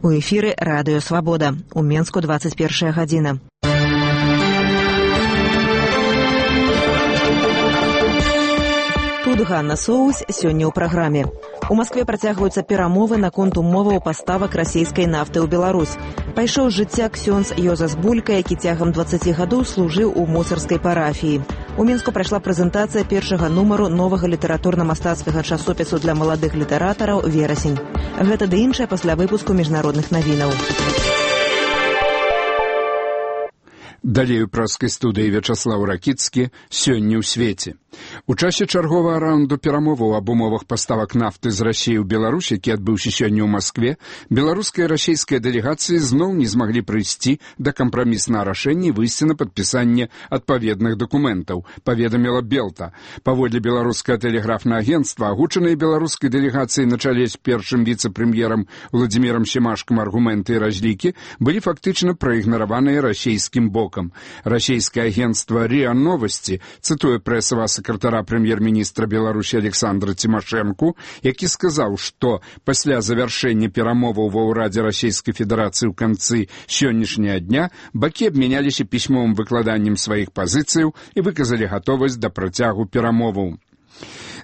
У эфіры радыё «Свабода». У Менску 21 гадзіна. Тут Ганна Соус сёння ў праграме. У Маскве працягваюцца перамовы наконт умоваў паставак расійскай нафты ў Беларусь. Пайшоў з жыцця ксёндз Йозас Булька, які цягам 20 гадоў служыў у мусарскай парафіі. У Мінску прайшла прэзентацыя першага нумару новага літаратурна-мастацкага часопісу для маладых літаратараў «Верасень». Гэта ды іншае пасля выпуску міжнародных навінаў. Далей у праскай студыі Вячаслаў Ракіцкі «Сёння ў свеце». У часе чарговага раунду перамоваў аб умовах паставак нафты з Расіі ў Беларусь, які адбыўся сёння ў Маскве, беларуская і расійская дэлегацыі зноў не змаглі прыйсці да кампраміснага рашэння і выйсці на падпісанне адпаведных дакументаў, паведаміла Белта. Паводле беларускага тэлеграфнага агенцтва, агучаныя беларускай дэлегацыяй на чале з першым віцэ-прэм'ерам Владзімірам Семашкам аргументы і разлікі былі фактычна праігнараваныя расійскім бокам. Расійскае агенцтва РИА Новости, цытуе прэсавага сакратара прэм'ер-міністра Беларусі Александра Тимошенко, які сказаў, што пасля завяршэння перамоваў ва ўрадзе Расійскай Федэрацыі ў канцы сённяшняга дня бакі абмяняліся пісьмовым выкладаннем сваіх пазіцыяў і выказалі гатовасць да працягу перамоваў.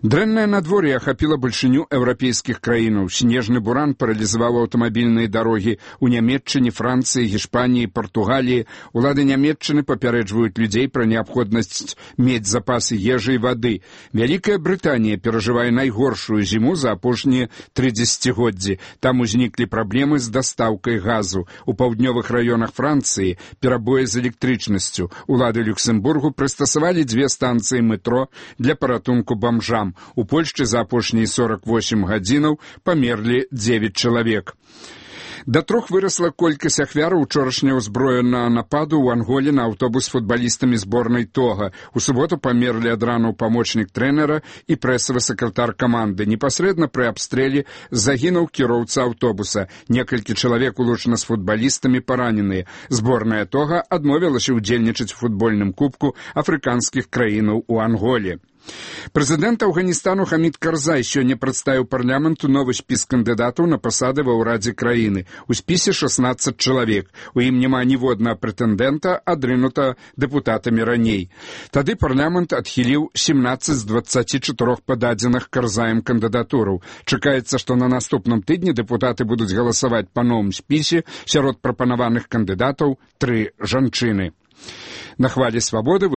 Дрэннае надвор'е ахапіла бальшыню еўрапейскіх краінаў. Снежны буран паралізаваў аўтамабільныя дарогі ў Нямецчыне, Францыі, Гішпаніі, Партугаліі. Улады Нямецчыны папярэджваюць людзей пра неабходнасць мець запасы ежы і вады. Вялікая Брытанія перажывае найгоршую зіму за апошнія 3 дзесяцігоддзі. Там узніклі праблемы з дастаўкай газу. У паўднёвых раёнах Францыі перабоі з электрычнасцю. Улады Люксембургу прыстасавалі 2 станцыі метро для паратунку бамжам. У Польшчы за апошнія 48 гадзінаў памерлі 9 чалавек. Да 3 вырасла колькасць ахвяраў учорашняга ўзброенага нападу ў Анголе на аўтобус з футбалістамі зборнай Тога. У суботу памерлі ад ранаў памочнік трэнера і прэсавы сакратар каманды. Непасрэдна пры абстрэле загінуў кіроўца аўтобуса. Некалькі чалавек улучана з футбалістамі параненыя. Зборная Тога адмовілася ўдзельнічаць у футбольным кубку афрыканскіх краінаў у Анголе. Прэзідэнт Афганістану Хамід Карзай сёння прадставіў парламенту новы спіс кандыдатаў на пасады ва ўрадзе краіны. У спісе 16 чалавек. У ім няма ніводнага прэтэндэнта, адрынута дэпутатамі раней. Тады парламент адхіліў 17 з 24 пададзеных Карзаем кандыдатураў. Чакаецца, што на наступным тыдні дэпутаты будуць галасаваць па новым спісе. Сярод прапанаваных кандыдатаў 3 жанчыны. На хвалі свабоды